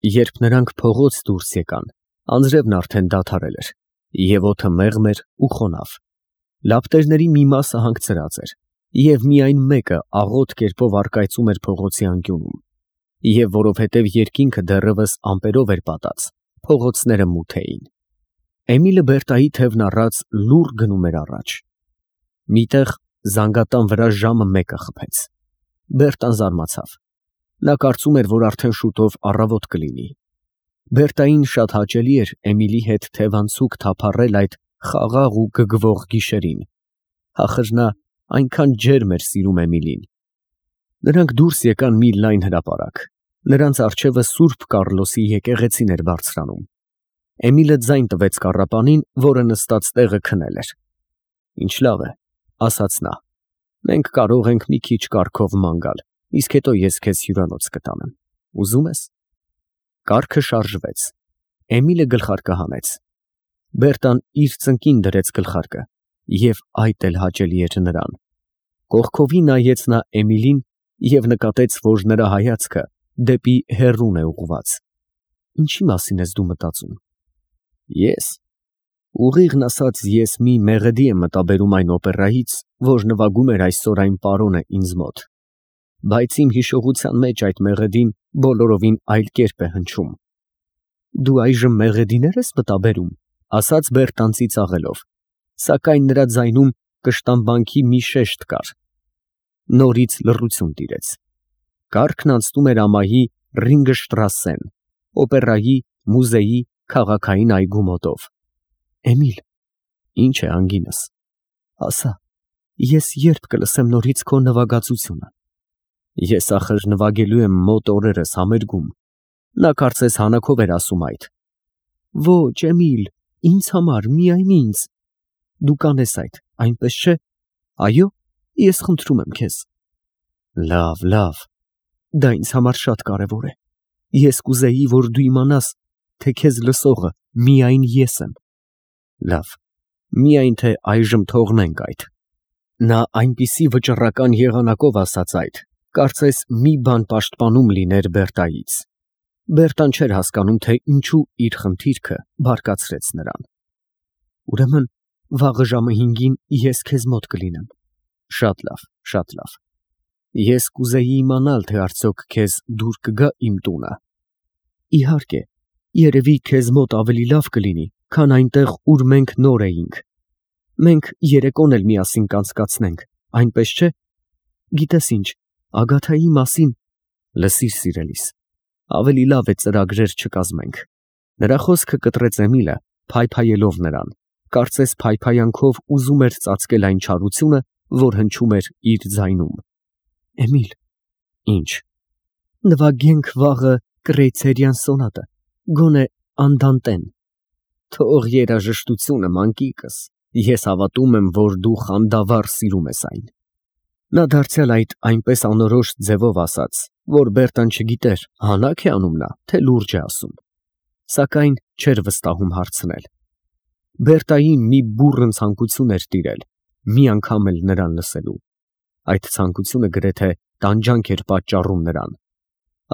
Երբ նրանք փողոց դուրս եկան, անձրևն արդեն դադարել էր, և օդը մեղմ էր ու խոնավ։ Լապտերների մի մասը հանգցրած էր, և միայն մեկը աղոտ կերպով առկայծում էր փողոցի անկյունում, և որովհետև երկինքը դեռևս ամպերով էր պատած, փողոցները մութ էին։ Էմիլը Բերտայի թևն առած լուռ գնում էր առաջ։ Միտեղ զանգատան վրա ժամը 1-ը խփեց։ Բերտան զարմացավ։ Նա կարծում էր, որ արդեն շուտով առավոտ կլինի։ Բերտային շատ հաճելի էր Էմիլի հետ թևանցուկ թափառել այդ խաղաղ ու գգվող գիշերին։ Ախր նա այնքան ջերմ էր սիրում Էմիլին։ Նրանք դուրս եկան մի լայն հրապարակ։ Նրանց առջևը Սուրբ Կառլոսի եկեղեցին էր բարձրանում։ Էմիլը ձայն տվեց կառապանին, որը նստած տեղը քնել էր։ Ինչ լավ է, ասաց նա։ Մենք կարող ենք մի քիչ կառքով ման գալ, իսկ հետո ես քեզ հյուրանոց կտանեմ։ Ուզում ես։ Կառքը շարժվեց։ Էմիլը գլխարկը հանեց։ Բերտան իր ծնկին դրեց գլխարկը, և այդ էլ հաճելի էր նրան։ Կողքովի նայեց նա Էմիլին և նկատեց, որ նրա հայացքը դեպի հեռուն է ուղղված։ Ինչի մասին ես դու մտածում։ Ես։ Ուղիղն ասած, ես մի մեղեդի եմ մտաբերում այն օպերայից, որ նվագում էր այսօր այն պարոնը ինձ մոտ։ Բայց իմ հիշողության մեջ այդ մեղեդին բոլորովին այլ կերպ է հնչում։ Դու այժմ մեղեդիներ ես մտաբերում, ասաց Բերտան ծիծաղելով, սակայն նրա ձայնում կշտամբանքի մի շեշտ կար։ Նորից լռություն տիրեց։ Կառքն անցնում էր ամայի Ռինգշտրասեն, օպերայի, մուզեի, քաղաքային այգու մոտով։ Էմիլ, ինչ է անգինս։ Ասա, ես երբ կլսեմ նորից քո նվագածությունը։ Ես ախր նվագելու եմ մոտ օրերս համերգում։ Նա կարծես հանակով էր ասում այդ։ Ոչ, Էմիլ, ինձ համար, միայն ինձ։ Դու կանես այդ, այնպես չէ։ Այո, ես խնդրում եմ քեզ։ Լավ, լավ։ Դա ինձ համար շատ կարևոր է։ Ես կուզեի, որ դու իմանաս, թե քեզ լսողը միայն ես եմ։ Լավ, միայն թե այժմ թողնենք այդ։ Նա այնպիսի վճռական եղանակով ասաց այդ, կարծես մի բան պաշտպանում լիներ Բերտայից։ Բերտան չէր հասկանում, թե ինչու իր խնդիրքը բարկացրեց նրան։ Ուրեմն վաղը ժամը 5-ին ես քեզ մոտ կլինեմ։ Շատ լավ, շատ լավ։ Ես կուզեի իմանալ, թե արդյոք քեզ դուր կգա իմ տունը։ Իհարկե, երևի քեզ մոտ ավելի լավ կլինի, քան այնտեղ, ուր մենք նոր էինք։ Մենք երեկոն էլ միասին կանցկացնենք, այնպես չէ։ Գիտես ինչ, Ագաթայի մասին։ Լսիր, սիրելիս, ավելի լավ է ծրագրեր չկազմենք։ Նրա խոսքը կտրեց Էմիլը, փայփայելով նրան, կարծես փայփայանքով ուզում էր ծածկել այն չարությունը, որ հնչում էր իր ձայնում։ Էմիլ, ինչ։ Նվագենք վաղը Կրեյցերյան սոնատը, գոնե Անդանտեն։ Թող երաժշտությունը, մանկիկս, ես հավատում եմ, որ դու խանդավառ սիրում ես այն։ Նա դարձյալ այդ այնպես անորոշ ձևով ասաց, որ Բերտան չգիտեր, հանաք է անում նա, թե լուրջ է ասում։ Սակայն չէր վստահում հարցնել։ Բերտային մի բուռն ցանկություն էր տիրել, մի անգամ էլ նրան լսելու։ Այդ ցանկությունը գրեթե տանջանք էր պատճառում նրան։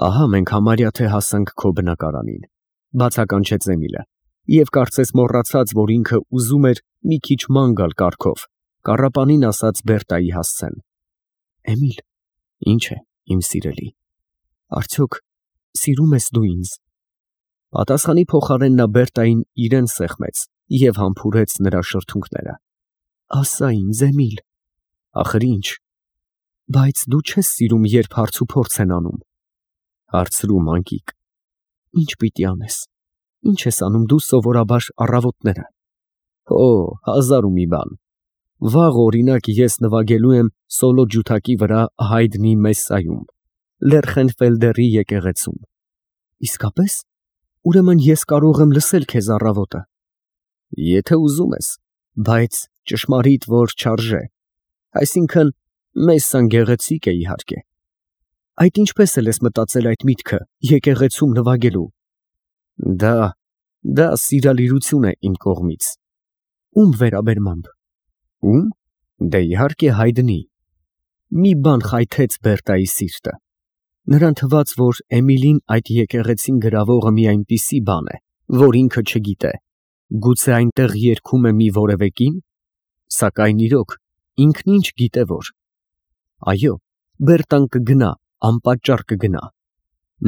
Ահա մենք համարյա թե հասանք քո բնակարանին, բացականչեց Էմիլը, և կարծես մոռացած, որ ինքը ուզում էր մի քիչ ման գալ կառքով, կառապանին ասաց Բերտայի հասցեն։ Էմիլ, ինչ է, իմ սիրելի, արդյոք սիրում ես դու ինձ։ Պատասխանի փոխարեն նա Բերտային իրեն սեղմեց և համբուրեց նրա շրթունքները։ Ասա ինձ, Էմիլ։ Ախր ինչ։ Բայց դու չես սիրում, երբ հարց ու փորձ են անում։ Հարցրու, մանկիկ։ Ինչ պիտի անես։ Ինչ ես անում դու սովորաբար առավոտները։ Օ, հազար ու մի բան։ Վաղ օրինակ ես նվագելու եմ սոլո ջութակի վրա Հայդնի մեսսայում, Լերխենֆելդերի եկեղեցում։ Իսկապես։ Ուրեմն ես կարող եմ լսել քեզ առավոտը։ Եթե ուզում ես, բայց ճշմարիտ որ չարժե։ Այսինքն մեսսան գեղեցիկ է իհարկե։ Այդ ինչպես էլ ես մտածել այդ միտքը եկեղեցում նվագելու։ Դա սիրալիրություն է իմ կողմից։ Ում վերաբերմամբ։ Ում։ Դե իհարկե Հայդնի։ Մի բան խայթեց Բերտայի սիրտը։ Նրան թվաց, որ Էմիլին այդ եկեղեցին գրավողը մի այնպիսի բան է, որ ինքը չգիտե, գուցե այնտեղ երգում է մի որևէ կին, սակայն իրոք ինքն ինչ գիտե որ։ Այո, Բերտան կգնա, անպատճառ կգնա։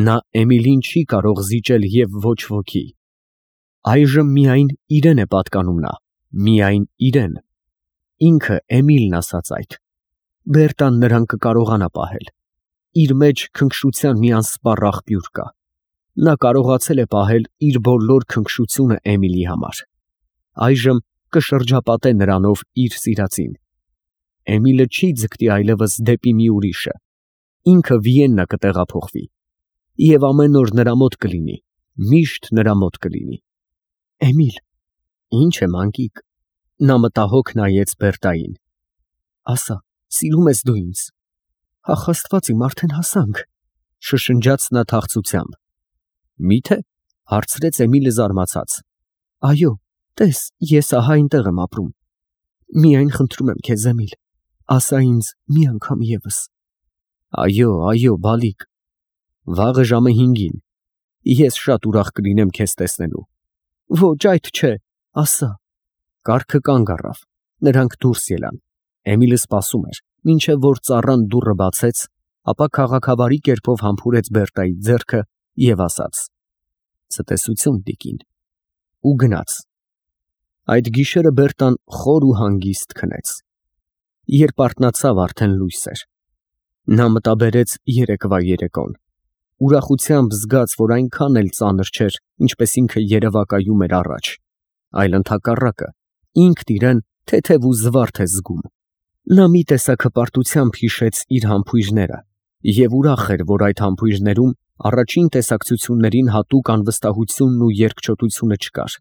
Նա Էմիլին չի կարող զիջել և ոչ ոքի։ Այժմ միայն իրեն է պատկանում նա, միայն իրեն։ Ինքը Էմիլն ասաց այդ։ Բերտան նրան կկարողանա պահել։ Իր մեջ քնքշության մի անսպառ աղբյուր կա։ Նա կարողացել է պահել իր բոլոր քնքշությունը Էմիլի համար։ Այժմ կշրջապատե նրանով իր սիրածին։ Էմիլը չի ձգտի այլևս դեպի մի ուրիշը։ Ինքը Վիեննա կտեղափոխվի։ Եվ ամեն օր նրա մոտ կլինի, միշտ նրա մոտ կլինի։ Էմիլ, ինչ է մանկիկ։ Նա մտահոգ նայեց Բերտային։ Ասա, սիրում ես դու ինձ։ Ախ, Աստված իմ, արդեն հասանք, շշնջաց նա թախծությամբ։ Մի՞թե, հարցրեց Էմիլը զարմացած։ Այո, տես, ես ահա այնտեղ եմ ապրում։ Միայն խնդրում եմ քեզ, Էմիլ, ասա ինձ մի անգամ ևս։ Այո, այո, բալիկ։ Վաղը ժամը 5-ին։ Ես շատ ուրախ կլինեմ քեզ տեսնելու։ Ոչ, այդ չէ, ասա։ Կառքը կանգ առավ։ Նրանք դուրս ելան։ Էմիլը սպասում էր, մինչև որ ծառան դուռը բացեց, ապա քաղաքավարի կերպով համբուրեց Բերտայի ձեռքը և ասաց. Ցտեսություն, տիկին։ Ու գնաց։ Այդ գիշերը Բերտան խոր ու հանգիստ քնեց։ Երբ արթնացավ, արդեն լույս էր։ Նա մտաբերեց երեկվա երեկոն։ Ուրախությամբ զգաց, որ այնքան էլ ծանր չէր, ինչպես ինքը երևակայում էր առաջ, այլ ընդհակառակը, ինքն իրեն թեթև ու զվարթ է զգում։ Նա մի տեսակ հպարտությամբ հիշեց իր համբույրները և ուրախ էր, որ այդ համբույրներում առաջին տեսակցություններին հատուկ անվստահությունն ու երկչոտությունը չկար։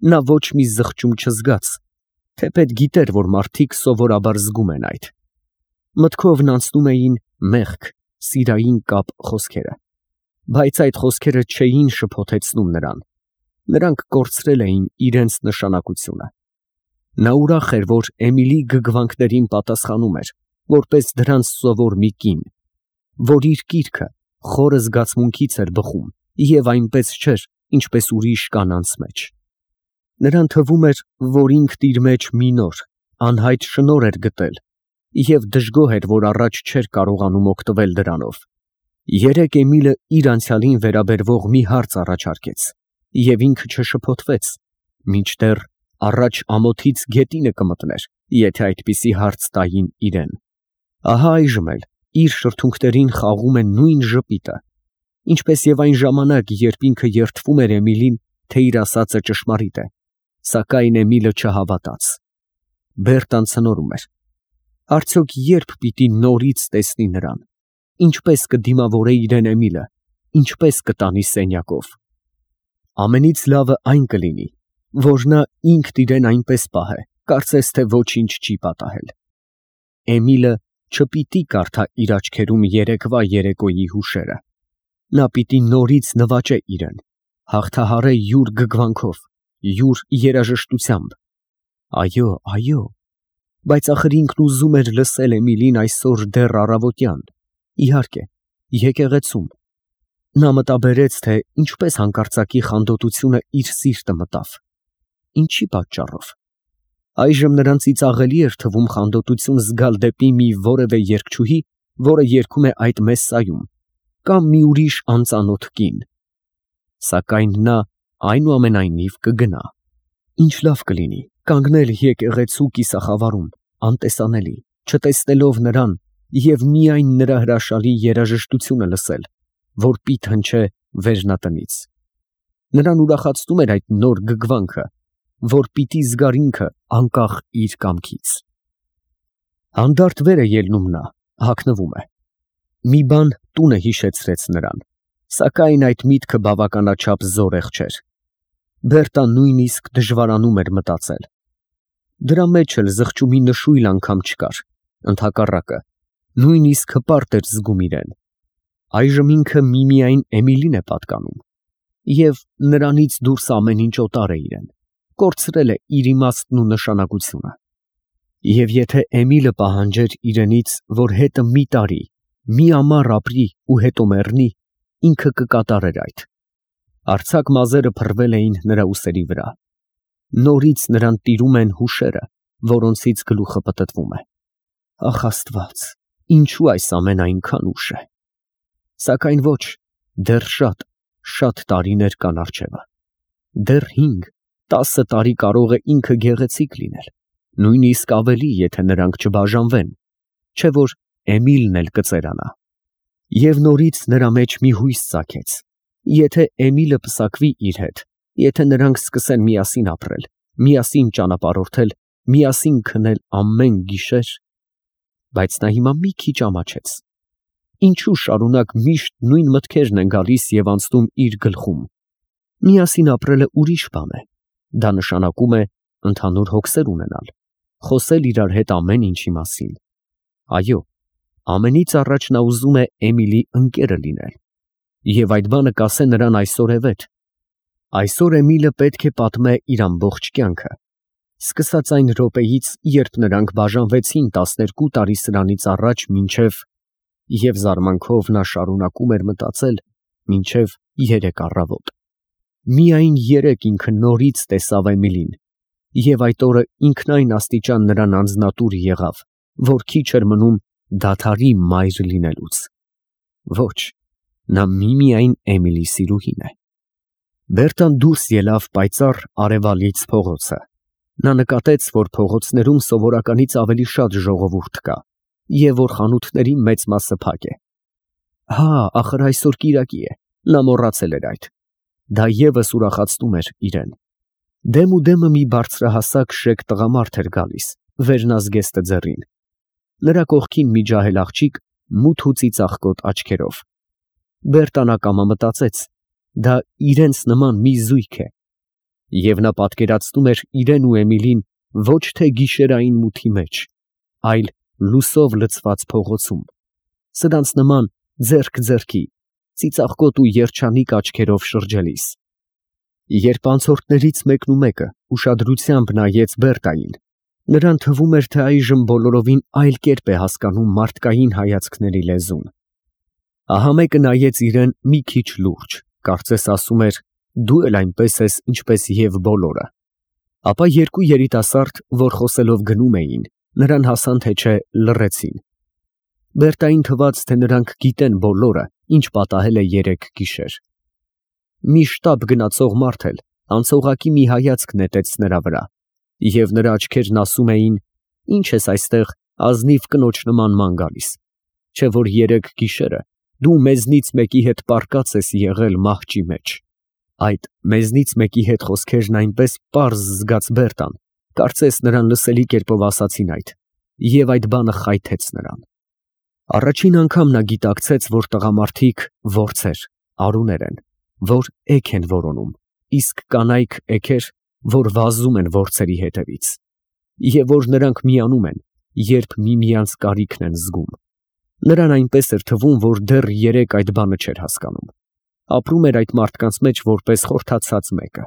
Նա ոչ մի զղջում չզգաց, թեպետ գիտեր, որ մարդիկ սովորաբար զգում են այդ։ Մտքովն անցնում էին մեղք, սիրային կապ խոսքերը, բայց այդ խոսքերը չէին շփոթեցնում նրան։ Նրանք կորցրել էին իրենց նշանակությունը։ Նա ուրախ էր, որ Էմիլի գգվանքներին պատասխանում էր, որպես դրանց սովոր մի կին, որ իր կիրքը խորը զգացմունքից էր բխում և այնպես չէր, ինչպես ուրիշ կանանց մեջ։ Նրան թվում էր, որ ինքն իր մեջ մի նոր, անհայտ շնորհ էր գտել և դժգոհ էր, որ առաջ չէր կարողանում օգտվել դրանով։ Երեկ Էմիլը իր անցյալին վերաբերվող մի հարց առաջարկեց, և ինքը չշփոթվեց, մինչդեռ առաջ ամոթից գետինը կմտներ, եթե այդպիսի հարց տային իրեն։ Ահա այժմ էլ իր շրթունքներին խաղում է նույն ժպիտը, ինչպես և այն ժամանակ, երբ ինքը երդվում էր Էմիլին, թե իր ասածը ճշմարիտ է, սակայն Էմիլը չհավատաց։ Բերտան ցնորում էր։ Արդյոք երբ պիտի նորից տեսնի նրան, ինչպես կդիմավորե իրեն Էմիլը, ինչպես կտանի սենյակով։ Ամենից լավը այն կլինի, որ նա ինքն իրեն այնպես պահե, կարծես թե ոչինչ չի պատահել։ Էմիլը չպիտի կարդա իր աչքերում երեկվա երեկոյի հուշերը։ Նա պիտի նորից նվաճե իրեն, հաղթահարե յուր գգվանքով, յուր երաժշտությամբ։ Այո, այո, բայց ախր ինքն ուզում էր լսել Էմիլին այսօր դեռ առավոտյան, իհարկե, եկեղեցում։ Նա մտաբերեց, թե ինչպես հանկարծակի խանդոտությունը իր սիրտը մտավ։ Ինչի պատճառով։ Այժմ նրան ծիծաղելի էր թվում խանդոտություն զգալ դեպի մի որևէ երգչուհի, որը երգում է այդ մեսսայում, կամ մի ուրիշ անծանոթ կին։ Սակայն նա այնուամենայնիվ կգնա։ Ինչ լավ կլինի կանգնել եկեղեցու կիսախավարում, անտեսանելի, չտեսնելով նրան և միայն նրա հրաշալի երաժշտությունը լսել, որ պիտ հնչե վերնատնից։ Նրան ուրախացնում էր այդ նոր գգվանքը, որ պիտի զգար ինքը անկախ իր կամքից։ Հանդարտ վեր է ելնում նա, հագնվում է։ Մի բան տունը հիշեցրեց նրան, սակայն այդ միտքը բավականաչափ զորեղ չէր։ Բերտան նույնիսկ դժվարանում էր մտածել։ Դրա մեջ էլ զղջումի նշույլ անգամ չկար, ընդհակառակը, նույնիսկ հպարտ էր զգում իրեն։ Այժմ ինքը միմիայն Էմիլին է պատկանում, և նրանից դուրս ամեն ինչ օտար է իրեն, կորցրել է իր իմաստն ու նշանակությունը։ Եվ եթե Էմիլը պահանջեր իրենից, որ հետը մի տարի, մի ամառ ապրի ու հետո մեռնի, ինքը կկատարեր այդ։ Արձակ մազերը փռվել էին նրա ուսերի վրա։ Նորից նրան տիրում են հուշերը, որոնցից գլուխը պտտվում է։ Ախ Աստված, ինչու այս ամեն այնքան ուշ է։ Սակայն ոչ, դեռ շատ տարիներ կան առջևը։ Դեռ 5-10 տարի կարող է ինքը գեղեցիկ լինել, նույնիսկ ավելի, եթե նրանք չբաժանվեն, չէ որ Էմիլն էլ կծերանա։ Եվ նորից նրա մեջ մի հույս ծագեց. եթե Էմիլը պսակվի իր հետ, եթե նրանք սկսեն միասին ապրել, միասին ճանապարհորդել, միասին քնել ամեն գիշեր, բայց նա հիմա մի քիչ ամաչեց։ Ինչու շարունակ միշտ նույն մտքերն են գալիս և անցնում իր գլխում։ Միասին ապրելը ուրիշ բան է։ Դա նշանակում է ընդհանուր հոգսեր ունենալ, խոսել իրար հետ ամեն ինչի մասին։ Այո, ամենից առաջ նա ուզում է Էմիլի ընկերը լինել։ Եվ այդ բանը կասե նրան այսօրևեթ։ Այսօր Էմիլը պետք է պատմե իր ամբողջ կյանքը, սկսած այն րոպեից, երբ նրանք բաժանվեցին 12 տարի սրանից առաջ մինչև, և զարմանքով նա շարունակում էր մտածել, մինչև 3 առավոտ։ Միայն 3 ինքը նորից տեսավ Էմիլին, և այդ օրը ինքնայն աստիճան նրան անձնատուր եղավ, որ քիչ էր մնում դադարի մայր լինելուց։ Ոչ, նա միմիայն Էմիլի սիրուհին է։ Բերտան դուրս ելավ պայծառ արևալից փողոցը։ Նա նկատեց, որ փողոցներում սովորականից ավելի շատ ժողովուրդ կա, և որ խանութների մեծ մասը փակ է։ Հա, ախր այսօր կիրակի է, նա մոռացել էր այդ։ Դա ևս ուրախացնում էր իրեն։ Դեմուդեմը մի բարձրահասակ շեկ տղամարդ էր գալիս, վերնազգեստը ձեռին։ Նրա կողքին մի ջահել աղջիկ մութ ու ծիծաղկոտ աչքերով։ Բերտան ակամա մտածեց, դա իրենց նման մի զույգ է, և նա պատկերացնում էր իրեն ու Էմիլին ոչ թե գիշերային մութի մեջ, այլ լուսով լցված փողոցում, սրանց նման ձեռք ձեռքի, ծիծաղկոտ ու երջանիկ աչքերով շրջելիս։ Երբ անցորդներից մեկն ու մեկը ուշադրությամբ նայեց Բերտային, նրան թվում էր, թե այժմ բոլորովին այլ կերպ է հասկանում մարդկային հայացքների լեզուն։ Ահա մեկը նայեց իրեն մի քիչ լուրջ, կարծես ասում էր, դու էլ այնպես ես, ինչպես և բոլորը։ Ապա երկու երիտասարդ, որ խոսելով գնում էին, նրան հասան թե չէ լռեցին։ Բերտային թվաց, թե նրանք գիտեն բոլորը, ինչ պատահել է 3 գիշեր։ Մի շտապ գնացող մարդ էլ անցողակի մի հայացք նետեց նրա վրա, և նրա աչքերն ասում էին. «Ինչ ես այստեղ ազնիվ կնոջ նման ման գալիս, չէ որ 3 գիշերը դու մեզնից մեկի հետ պառկած ես եղել մահճի մեջ»։ Այդ մեզնից մեկի հետ խոսքերն այնպես պարզ զգաց Բերտան, կարծես նրան լսելի կերպով ասացին այդ, և այդ բանը խայթեց նրան։ Առաջին անգամ նա գիտակցեց, որ տղամարդիկ որձեր, արուներ են, որ էգ են որոնում, իսկ կանայք էգեր, որ վազում են որձերի հետևից, և որ նրանք միանում են, երբ միմյանց կարիքն են զգում։ Նրան այնպես էր թվում, որ դեռ 3 այդ բանը չէր հասկանում։ Ապրում էր այդ մարդկանց մեջ որպես խորթացած մեկը։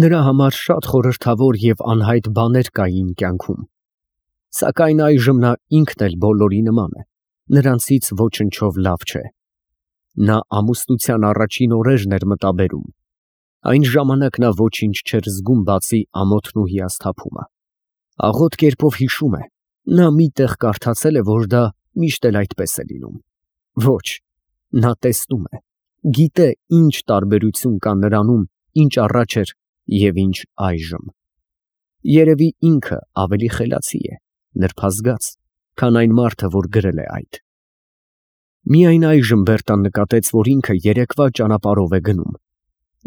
Նրա համար շատ խորհրդավոր և անհայտ բաներ կային կյանքում։ Սակայն այժմ նա ինքն էլ բոլորի նման է, նրանցից ոչնչով լավ չէ։ Նա ամուսնության առաջին օրերն էր մտաբերում։ Այն ժամանակ նա ոչինչ չէր զգում, բացի ամոթն ու հիասթափումը։ Աղոտ կերպով հիշում է, նա մի տեղ կարդացել է, որ դա միշտ էլ այդպես է լինում։ Ոչ, նա տեսնում է, գիտե ինչ տարբերություն կա նրանում, ինչ առաջ էր և ինչ այժմ։ Երևի ինքը ավելի խելացի է, նրբազգաց, քան այն մարդը, որ գրել է այդ։ Միայն այժմ Բերտան նկատեց, որ ինքը երեկվա ճանապարհով է գնում։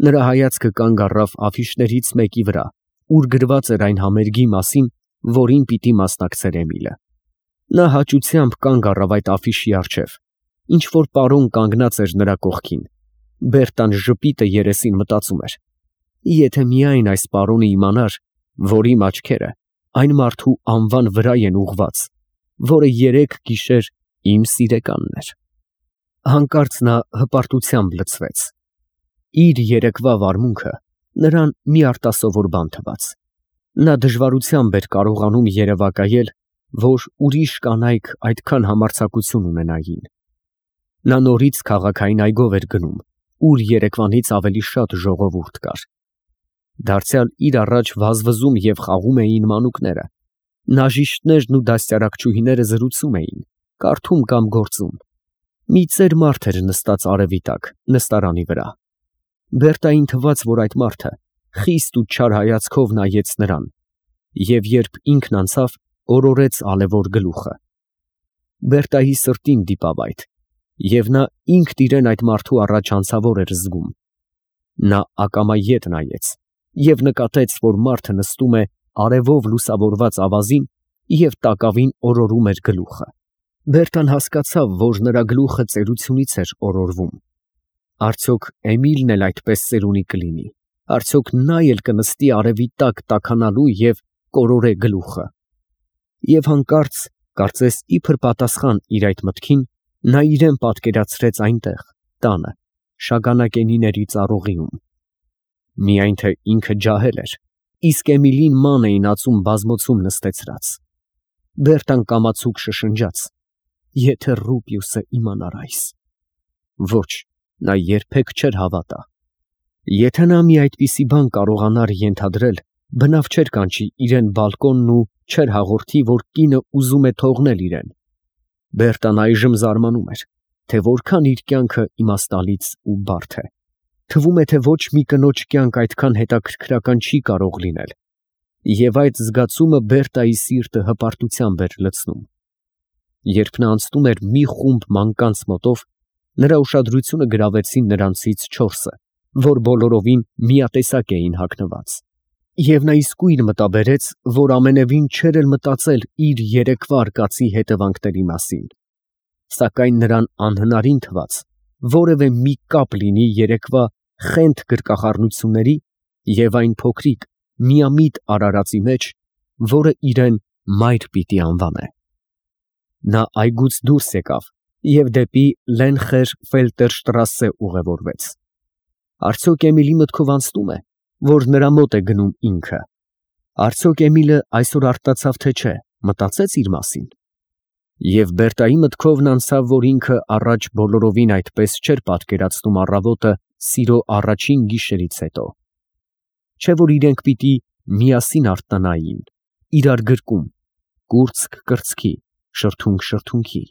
Նրա հայացքը կանգ առավ աֆիշներից մեկի վրա, ուր գրված էր այն համերգի մասին, որին պիտի մասնակցեր Էմիլը։ Նա հաճությամբ կանգ առավ այդ աֆիշի առջև, ինչ որ պարոն կանգնած էր նրա կողքին։ Բերտան ժպիտը երեսին մտածում էր. եթե միայն այս պարոնը իմանար, որ իմ աչքերը այն մարդու անվան վրա են ուղված, որը 3 գիշեր իմ սիրեկանն էր։ Հանկարծ նա հպարտությամբ լցվեց։ Իր երեկվա վարմունքը նրան մի արտասովոր բան թվաց։ Նա դժվարությամբ էր կարողանում երևակայել, որ ուրիշ կանայք այդքան համարձակություն ունենային։ Նա նորից քաղաքային այգով էր գնում, ուր երեկվանից ավելի շատ ժողովուրդ կար։ Դարձյալ իր առաջ վազվզում և խաղում էին մանուկները։ Նաժիշտներն ու դաստիարակչուհիները զրուցում էին, կարդում կամ գործում։ Մի ծեր մարդ էր նստած արևի տակ, նստարանի վրա։ Բերտային թվաց, որ այդ մարդը խիստ ու չար հայացքով նայեց նրան, և երբ ինքն անցավ, օրորեց ալևոր գլուխը։ Բերտայի սրտին դիպավ այդ, և նա ինքն իրեն այդ մարդու առաջ անցավոր էր զգում։ Նա ակամա ետ նայեց և նկատեց, որ մարդը նստում է արևով լուսավորված ավազին և տակավին օրորում էր գլուխը։ Բերտան հասկացավ, որ նրա գլուխը ծերությունից էր օրորվում։ Արդյոք Էմիլն էլ այդպես ծերունի կլինի, արդյոք նա էլ կնստի արևի տակ տաքանալու և կորորե գլուխը։ Եվ հանկարծ, կարծես իբր պատասխան իր այդ մտքին, նա իրան պատկերացրեց այնտեղ, տանը, շագանակենիների ծառուղիում։ Միայն թե ինքը ջահել էր, իսկ Էմիլին ման էին ածում բազմոցում նստեցրած։ Բերտան կամացուկ շշնջաց. «Եթե Ռուպիուսը իմանար այս»։ Ոչ, նա երբեք չէր հավատա։ Եթե նա մի այդպիսի բան կարողանար ենթադրել, բնավ չէր կանչի իրան բալկոնն ու չէր հաղորդի, որ կինը ուզում է թողնել իրան։ Բերտան այժմ զարմանում էր, թե որքան իր կյանքը իմաստալից ու բարդ է։ Թվում է, թե ոչ մի կնոջ կյանք այդքան հետաքրքրական չի կարող լինել։ Եվ այդ զգացումը Բերտայի սիրտը հպարտությամբ էր լցնում։ Երբ նա անցնում էր մի խումբ մանկանց մոտով, նրա ուշադրությունը գրավեցին նրանցից 4-ը, որ բոլորովին միատեսակ էին հագնված։ Եվ նա իսկույն մտաբերեց, որ ամենևին չէր էլ մտածել իր երեկվա արկածի հետևանքների մասին։ Սակայն նրան անհնարին թվաց որևէ մի կապ լինի երեկվա խենթ գրկախառնությունների և այն փոքրիկ միամիտ արարածի մեջ, որը իրան մայր պիտի անվանե։ Նա այգուց դուրս եկավ և դեպի Լենխեր-Ֆելտերշտրասե ուղևորվեց։ Արդյոք Էմիլի մտքով անցնո՞ւմ է, որ նրա մոտ է գնում ինքը։ Արդյոք Էմիլը այսօր արթնացավ, թե չէ, մտածեց իր մասին։ Եվ Բերտայի մտքով անցավ, որ ինքը առաջ բոլորովին այդպես չէր պատկերացնում առավոտը սիրո առաջին գիշերից հետո։ Չէ՞ որ իրենք պիտի միասին արթնանային, իրար գրկում, կուրծք կրծքի, շրթունք շրթունքի։